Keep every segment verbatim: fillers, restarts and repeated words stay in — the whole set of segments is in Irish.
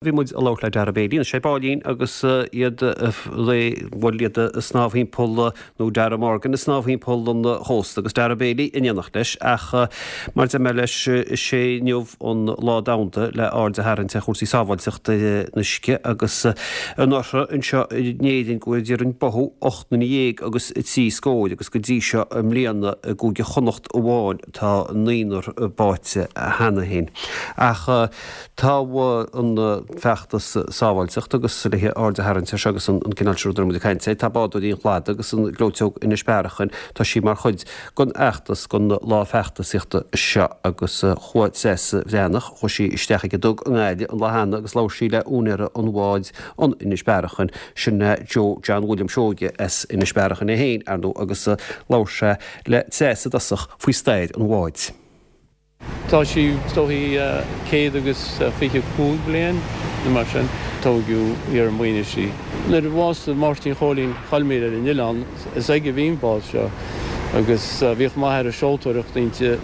Bhí muid ag labhairt le Dara Bailey na Sé Báilín agus iad bhfuil iad snámh timpeall nó Dara Morgan ag snámh timpeall an chósta agus Dara Bailey in éineacht leis ach mar a deir mé leis is é inniu an lá domhanda le aird a tharraingt ar chúrsaí sábháilteachta an uisce agus anuraidh anseo in Éirinn go bhfuil an báthadh ocht nduine dhéag agus trí scór agus go dtí seo i mbliana i gCúige Chonnacht amháin tá naonúr báite cheana féin. Ach tá an feachtas sábháilteachta agus le aird a tharraingt air seo agus an cineál seo rudaí muid ag caint air. Tá bádóirí an Chladaigh agus an Ghleoiteog Inis Bearachain, tá sí mar chuid den fheachtas den lá feachtasaíochta seo agus chuaigh Treasa Bhreathnach, chuaigh sí isteach ag an dug i nGaillimh an lá cheana agus labhair sí le úinéir an bháid an Inis Bearachain, sin Joe John William Seoige as Inis Bearachain é féin, ar ndóigh, agus labhair sé le Treasa i dtosach faoi stair an bháid. Tá sí is dóichí céad agus fiche cúig bliain nó mar sin. Tógadh í ar an Mhaoinis í. Nuair a bhásaigh Máirtín Chóilín Choilmír ar an oileán, is aige a bhí an bád seo agus bhíodh m'athair ag seoltóireacht inti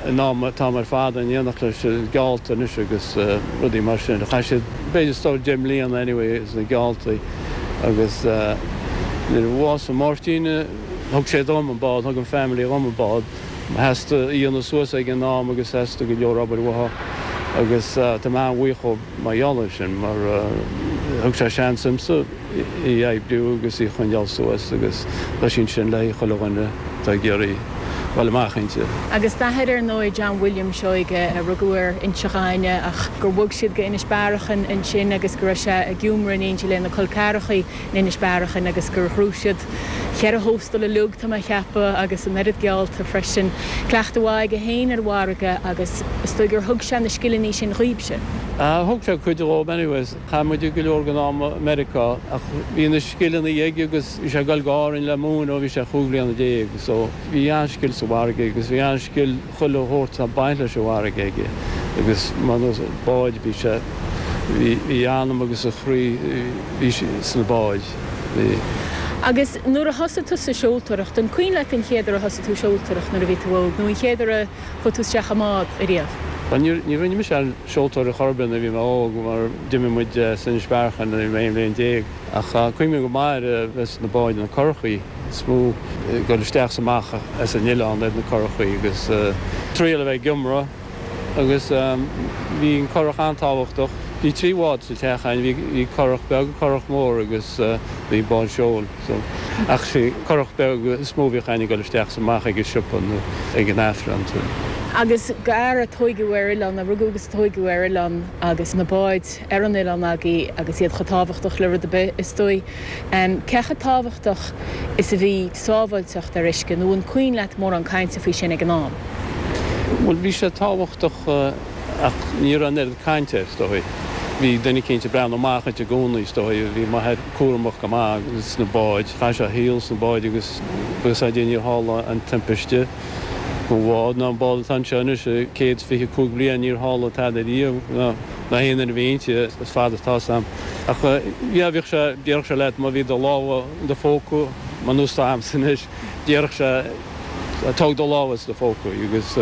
in am an t-am ar fad in éineacht leis na geallta anois agus rudaí mar sin. Chaith siad b'fhéidir is dóigh deich mbliana anyway sna gealltaí agus nuair a bhásaigh Máirtín thug sé dom an bád, thug an family dhom an bád. Theastaigh í a dhéanamh suas ag an am agus theastaigh go leor obair uaithi agus tá mé an-bhuíoch dhó mar gheall air sin mar thug sé seans domsa í a oibriú agus í a choinneáil suas agus tá sí ansin le haghaidh chuile dhuine atá ag iarraidh dul amach inti. Agus d'athair ar ndóigh, John William Seoige, a rugadh ar Inse Ghainne ach gur bhog siad go Inis Bearachain ansin agus go raibh sé ag iomramh in éindí lena col ceathrachaí in Inis Bearachain agus gur ghnóthaigh siad cheithre thóstal uilig, tá mé a cheapadh, agus an oiread geallta freisin. Cleachtadh mhaith aige féin ar an bhfarraige agus is dóigh gur thug sé na scileanna sin dhaoibhse. Thug sé cuid dhom anyways. Chaith muid go leor den am i Meiriceá ach bhí na scileanna aige agus bhí sé ag dul go Árainn le múineadh ó bhí sé chúig bhliana déag so bhí an-scil sa bhfarraige agus bhí an-scil chuile shórt ag baint leis an bhfarraige aige agus mar nós báid bhí sé bhí a anam agus a chroí bhí sna báid. Bhí. Agus nuair a thosaigh tusa ag seoltóireacht, an cuimhin leat an chéad uair a thosaigh tú ag seoltóireacht nuair a bhí tú óg, nó an chéad uair a chuaigh tú isteach i mbád ariamh? Bhuel, ní, ní rinne mise aon seoltóireacht chor ar bith nuair a bhí mé óg mar d'imigh muid as Inis Bearachain nuair a bhí mé aon bhliain déag. Ach cuimhním go maith ar a bheith sna báid, na currachaí is mó, ag dul isteach is amach as an oileán ar na currachaí agus triail a bheith ag iomramh. Agus bhí an currach an-tábhachtach. Bhí trí bhád sa teach againn, bhí bhí currach beag, currach mór agus bhí bád seoil. So, ach sé currach beag is mó a bhíodh againn ag dul isteach is amach ag an siopa nó ag an Aifreann. Agus d'fhear a tóigeadh ar oileán, a rugadh agus a tóigeadh ar oileán agus na báid ar an oileán agaibh agus iad chomh tábhachtach le rud ar bith is dóigh. Cé chomh tábhachtach is a bhí sábháilteacht ar uisce nó an cuimhin leat mórán cainte faoi sin ag an am? Bhuel, bhí sé tábhachtach ach ní raibh an oiread cainte air, is dóigh. Bhí duine eicínt ag breathnú amach duit i gcónaí, is dóigh. Bhí m'athair cúramach go maith sna báid. Chaith sé a shaol sna báid agus bíodh a fhios a'd níor tharla aon timpiste don bhád ná an bád atá anseo anois, céad is fiche cúig bliain, níor tharla tada riamh ná aon duine a bhí inti, is fada atá 'fhios a'm. Ach yeah, bhíodh sé, déarfadh sé leat má bhí do lámha i do phóca, mar nós atá a'msa anois, déarfadh sé, Tóg do lámha as do phóca agus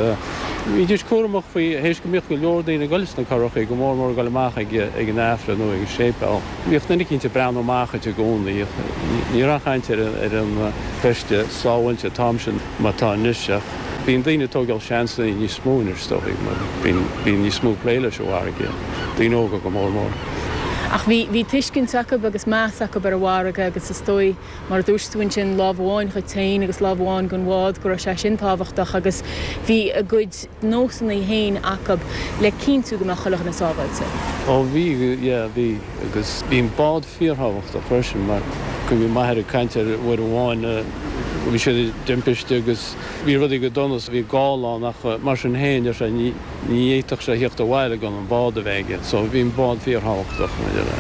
bhídís cúramach faoi, théis go mbíodh go leor daoine ag dul sna currachaí, go mór mór ag dul amach ag an Aifreann nó ag an séipéal. Bhíodh duine eicínt ag breathnú amach duit i gcónaí. Ní raibh aon chaint ar an feiste sábháilte an t-am sin mar atá anois ach bíonn daoine ag tógáil seansanna níos mó anois is dóigh mar bíonn níos mó plé leis an bhfarraige, daoine óga go mór mór. Ach bhí bhí tuiscint acu agus meas acu ar an bhfarraige agus is dóigh Mar a dúirt tú ansin, lámh amháin dhuit féin agus lámh amháin don bhád, go raibh sé sin tábhachtach agus bhí a gcuid nósanna féin acu le cinntiú go mbeadh chuile dhuine sábháilte. Ó bhí, yeah, bhí. Agus bhí an bád fíorthábhachtach freisin mar cuimhním m'athair ag caint ar uair amháin bhí siad i dtimpiste agus bhí rudaí go dona, bhí gála ann ach mar sin féin, deir sé, ní, Ní fhéadfadh sé a theacht abhaile gan an bád a bheith aige, so bhí an bád fíorthábhachtach maidir le.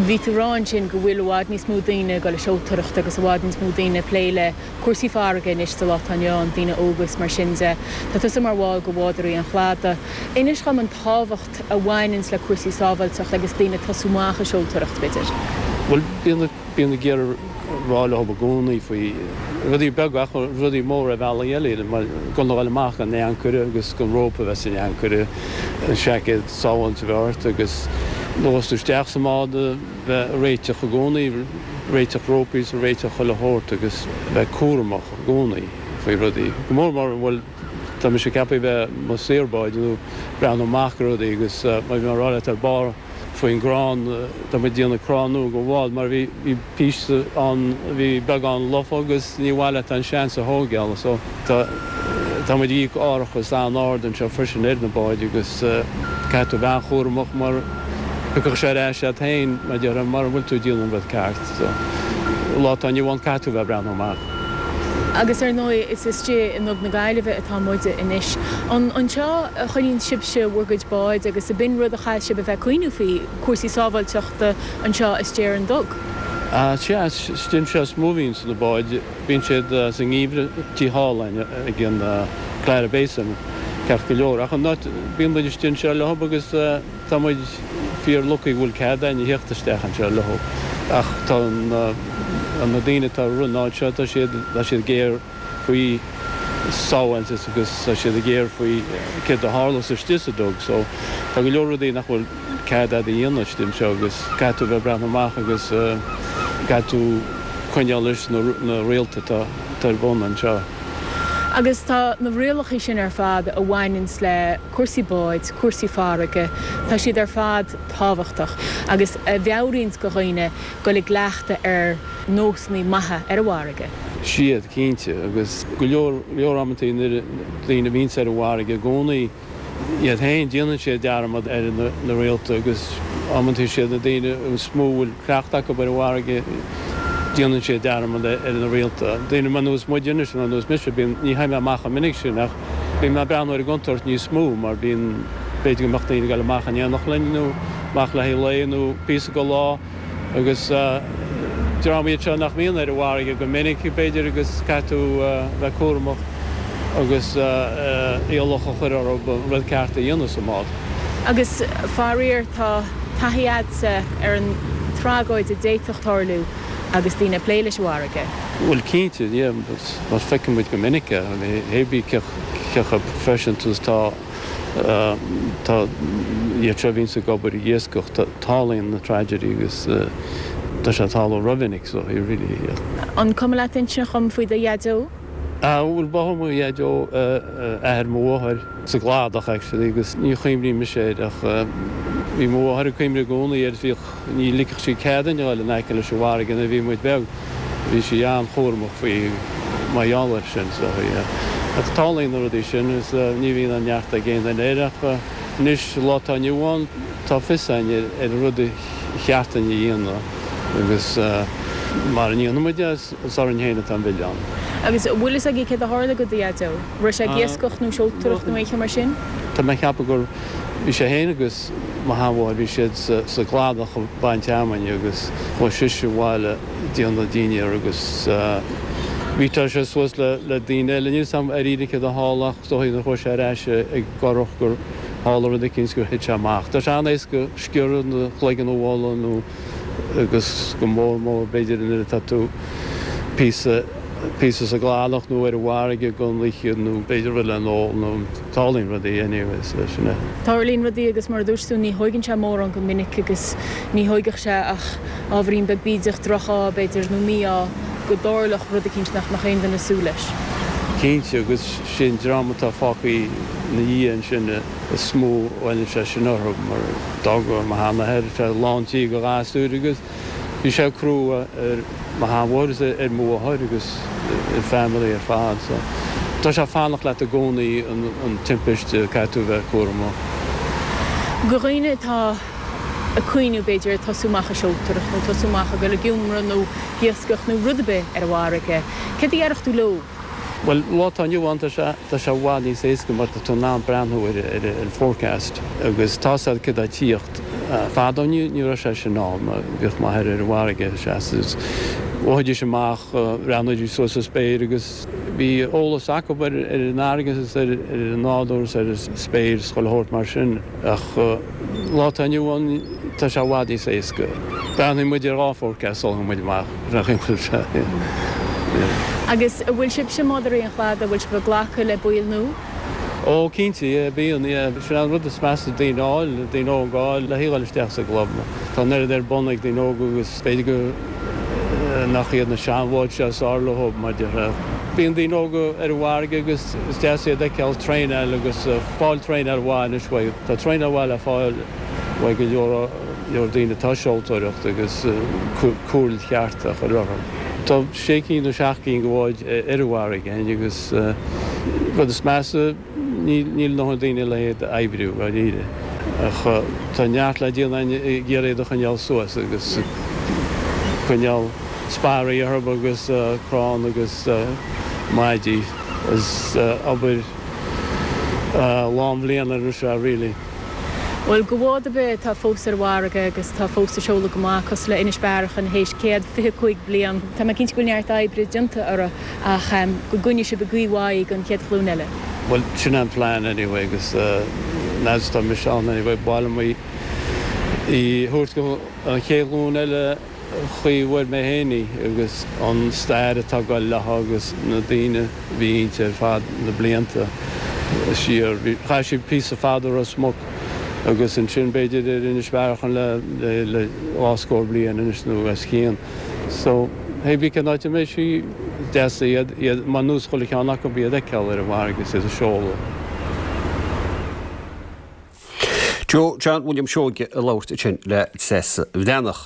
Bhí tú ag rá ansin go bhfuil i bhfad níos mó daoine ag dul ag seoltóireacht agus i bhfad níos mó daoine ag plé le cúrsaí farraige anois sa lá atá inniu ann, daoine óga is mar sin de. Tá tusa mar bhall de Bhádóirí an Chladaigh. Inis dhom an tábhacht a bhaineanns le cúrsaí sábháilteachta agus daoine ag tosú amach ag seoltóireacht, b'fhéidir. Bhuel bíonn bíonn ag iarraidh rá leo i gcónaí faoi rudaí beaga ach rudaí móra ar bhealaí eile mar gan a dhul amach gan ancaire agus gan rópa a bheith san ancaire, an seaicéad sábháilte a bheith ort agus nuair a tú isteach sa mbád a bheith réiteach i gcónaí, réiteach rópaí is réiteach chuile shórt agus a bheith cúramach i gcónaí faoi rudaí. Go mór mór bhuel tá mise ceaptha bheith mo saor báid nó breathnú amach ar rudaí agus mar bhí mé ag rá leat ar barr faoin gcrann, tá muid ag déanamh crann nua go bhád mar bhí bhí píosa ann a bhí beagán lofa agus ní mhaith leat an seans a thógáil so tá tá muid ag íoc árachas an-ard anseo freisin ar na báid agus caithfidh tú bheith an-chúramach mar thiocfadh sé ar ais agat féin mar déarfá mura bhfuil tú ag déanamh an rud ceart so lá atá inniu ann caithfidh tú bheith ag breathnú amach. Agus ar ndóigh is istigh i nDug na Gaillimhe atá muide anois. An anseo a choinníonn sibhse bhur gcuid báid agus ab in rud a chaithfidh sibh a bheith ag cuimhniú faoi, cúrsaí sábháilteachta anseo istigh ar an Dug? Sea, istigh anseo is mó a bhíonns na báid. Bíonn siad sa ngeimhreadh tí thall ag an Clara Basin ceart go leor. Ach an áit, bíonn muid istigh anseo leo agus tá muid fíor lucky go bhfuil cead againn a theacht isteach anseo leo. Ach tá na daoine atá ar an áit seo, tá siad, tá siad géar faoi sábháilteacht agus tá siad géar faoi céard a tharlós istigh sa dug. So tá go leor rudaí nach bhfuil cead agat a dhéanamh istigh anseo agus caithfidh tú bheith ag breathnú amach agus caithfidh tú coinneáil leis na rialta atá ar bun anseo. Agus tá na rialacha sin ar fad a bhaineanns le cúrsaí báid, cúrsaí farraige, tá siad ar fad tábhachtach agus a mheabhraíonns go dhaoine dul i gcleachtadh ar nósanna maithe ar an bhfarraige. Siad, cinnte, agus go leor leor amantaí nuair daoine a bhíonns ar an bhfarraige i gcónaí, iad féin, déanann siad dearmad ar na rialta agus amantaí siad na daoine is mó a bhfuil cleachtadh acu ar an bhfarraige, déanann siad dearmad ar na rialta. Daoine mar nós muide anois, mar nós mise, bíonn, ní théim amach chomh minic sin ach bíonn mé ag breathnú ar an gcontúirt níos mó mar bíonn, b'fhéidir go mbeadh daoine ag dul amach in éineacht linn nó amach le haghaidh lae nó píosa go lá agus dream iad seo nach mbíonn ar an bhfarraige go minic, b'fhéidir, agus caithfidh tú bheith cúramach agus iallach a chur orthu an rud ceart a dhéanamh sa mbád. Agus faraor tá taithí a'dsa ar an tragóid a d'fhéadfadh tarlú agus daoine ag plé leis an bhfarraige. Bhuel cinnte, yeah, mar feiceann muid go minic é, hé bí cé chomh proifisiúnta is atá tá iad seo a bhíonns ag obair ag iascach, tarlaíonn na tragedy agus tá sé ag tarlú rómhinic so he really, yeah. An cuma leat insint dhom faoi do dhaideo? Ah bhuel ba mo dhaideo athair mo mháthair sa gcladach actually agus ní chuimhním mise air ach bhí mo mháthair ag cuimhneamh i gcónaí air bhíodh ní ligfeadh sí cead dúinn a dhul in aice leis an bhfarraige nuair a bhí muid beag bhí sí an-chúramach faoi mar gheall air sin so yeah. Ach tarlaíonn na rudaí sin agus ní bhíonn an neart ag aon duine air ach anois lá atá inniu ann tá fios againn ar an rud a cheart dúinn a dhéanamh agus mara ndéanann muid é is orainn féin atá an milleán. Agus an bhfuil fhios agaibh céard a tharla go do dhaideo? Raibh sé ag iascach nó seoltóireacht nó aon cheo mar sin? Tá mé ag ceapadh gur bhí sé féin agus mo sheanmháthair, bhí siad sa gcladach ag baint fheamainne agus chuaigh sise abhaile ag déanamh dinnéar agus bhí tá sé suas le le daoine eile. Níl 'fhios a'm dáiríre céard a tharla ach is dóigh nuair a chuaigh sé ar ais ag curach gur tharla rud eicínt gur thit sé amach. Tá sé an-éasca sciorradh nó cloigeann a bhualadh nó agus go mór mór b'fhéidir nuair atá tú píosa píosa sa gcladach nó ar an bhfarraige don oíche nó b'fhéidir rud le n-ól nó tarlaíonn rudaí anyway so sin é. Tarlaíonn rudaí agus mar a dúirt tú ní thóigeann sé mórán go minic agus ní thóigfeadh sé ach ábhairín beag bídeach, droch-ádh b'fhéidir nó mí-ádh go dtarlódh rud eicínt nach mbeadh aon duine ag súil leis. Cinnte agus sin dream atá fágtha ina dhiaidh ansin is mó a bhaineann sé sin orthu mar d'fhág mo sheanathair sé lán tí de ghasúir agus bhí sé crua ar mo sheanmháthair is ar mo mháthair agus ar family ar fad so tá sé ag fanacht leat i gcónaí an timpiste caithfidh tú bheith cúramach. Do dhaoine atá ag cuimhniú b'fhéidir ag tosú amach ag seoltóireacht nó tosú amach ag dul ag iomramh nó ag iascach nó rud ar bith ar an bhfarraige, céard a dhéarfadh tú leo? Bhuel, lá atá inniu ann, tá sé tá sé i bhfad níos éasca mar tá tú in ann breathnú ar ar an forecast agus tá 'fhios a'd céard atá ag tíocht. Fadó ní ní raibh sé sin ann, bhíodh m'athair ar an bhfarraige seasta Bhídís amach, bhreathnaídís suas sa spéir agus bhí eolas acu ar an fharraige is ar an nádúr is ar an spéir is chuile shórt mar sin ach lá atá inniu ann tá sé i bhfad níos éasca. Breathnaíonn muid ar dhá forecast sula dtéann muid amach, nach bhfuil sé? Agus an bhfuil sibhse Mádaraí an Chladaigh, an bhfuil sibh ag glacadh le baill nua? Ó cinnte, yeah, bíonn, yeah. Sin an rud is measa daoine a fháil, daoine óga a fháil le dhul isteach sa gclub. Tá an oiread ar bun ag daoine óga agus b'fhéidir go nach iad na seanbháid seo is fearr leo mar déarfá. Bíonn daoine óga ar an bhfarraige agus is deas iad a fheiceáil traenáil agus fáil traenáil mhaith anois uaidh. Tá traenáil mhaith le fáil uaidh go leor leor daoine atá ag seoltóireacht agus cúil cheart a chur orthu. Tá sé cinn nó seacht gcinn de bháid ar an bhfarraige agus rud is measa níl ndóthain daoine le iad a oibriú dáiríre. Ach tá neart le déanamh ag iarraidh iad a choinneáil suas agus coinneáil sparraí orthu agus crann agus maidí. Is obair lán bhliana anois é really. Bhuel, do bhád ar bith atá fós ar an bhfarraige agus atá fós ag seoladh go maith, cosúil le Inis Bearachain théis céad fiche cúig bliain, tá mé cinnte go bhfuil neart oibre déanta orthu ach go gcoinneoidh sibh i gcaoi mhaith í don chéad ghlúin eile. Bhuel, sin an plean anyway agus fhad is atá mise ann anyway, ba mhaith liom í a thabhairt go an chéad ghlúin eile chaoi a bhfuair mé féin í agus an stair atá ag dul léi agus na daoine a bhí inti ar fad na blianta siar. Chaith sí píosa fada i Ros Muc agus ansin b'fhéidir ar Inis Bearachain le le dhá scór bliain anois nó os cionn. So hé bí cén áit a mbeidh sí deas iad iad mar nós chuile cheann acu iad a fheiceáil ar an bhfarraige is iad ag seoladh. Joe John William Seoige ag labhairt ansin le Treasa Bhreathnach.